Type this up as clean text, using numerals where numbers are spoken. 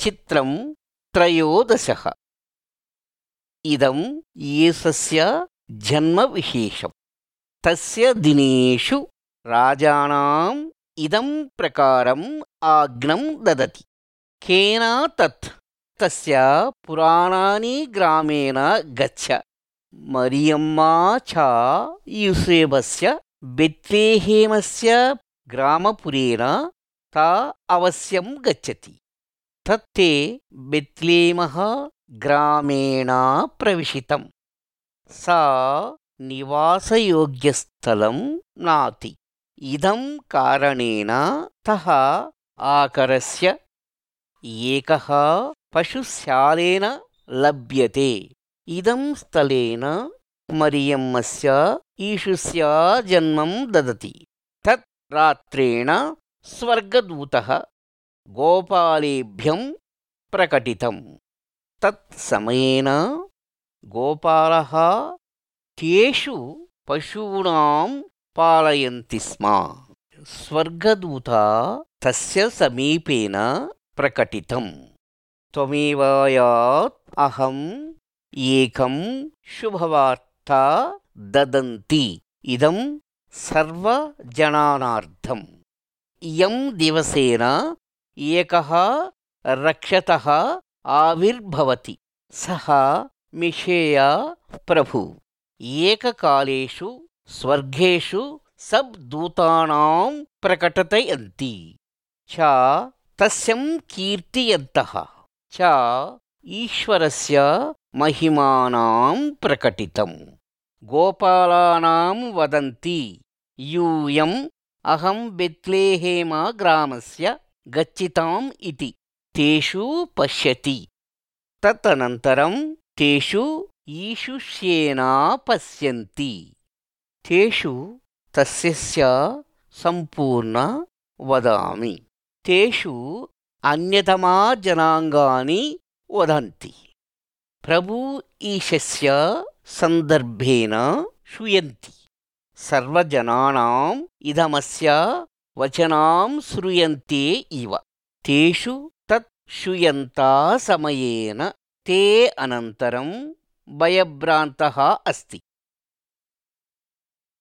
चित्रं त्रयोदशः। इदं येसस्य जन्मविशेषम्। तस्य दिनेषु राजानाम् इदं प्रकारम् आज्ञं ददति। केन तत् तस्य पुराणानि ग्रामेण गच्छ। मरियम्मा च यूसेफस्य बेत्लेहेमस्य ग्रामपुरेण ता अवश्यं गच्छति। तत्ते बेत्लेमः ग्रामेण प्रविशितम्। सा निवासयोग्यस्थलं नाति। इदं कारणेन तः आकरस्य एकः पशुशालेन लभ्यते। इदं स्थलेन मरियम्मस्य यीशुस्य जन्मं ददति। तत् रात्रेण स्वर्गदूतः गोपालेभ्यं प्रकटितम्। तत्समयेन गोपालः तेषु पशूनां पालयन्ति स्म। स्वर्गदूता तस्य समीपेन प्रकटितम्। त्वमेवायात् अहम् एकं शुभवार्ता ददन्ति। इदं सर्वजनानार्थम्। इयं दिवसेन एकः रक्षतः आविर्भवति। सः मिशेया प्रभु। एककालेषु स्वर्गेषु सब्दूतानां प्रकटयन्ति च तस्यं कीर्तयन्तः च ईश्वरस्य महिमानां प्रकटितम्। गोपालानां वदन्ति यूयम् अहं बेत्लेहेम ग्रामस्य गच्छिताम् इति तेषु पश्यति। तदनन्तरं तेषु यीशुस्येन पश्यन्ति। तेषु तस्य सम्पूर्ण वदामि। तेषु अन्यतमा जनाङ्गानि वदन्ति। प्रभु ईशस्य सन्दर्भेन श्रूयन्ति। सर्वजनानाम् इदमस्य वचनां श्रूयन्ते इव। तेषु तत् श्रूयन्ता समयेन ते अनन्तरं भयभ्रान्तः अस्ति।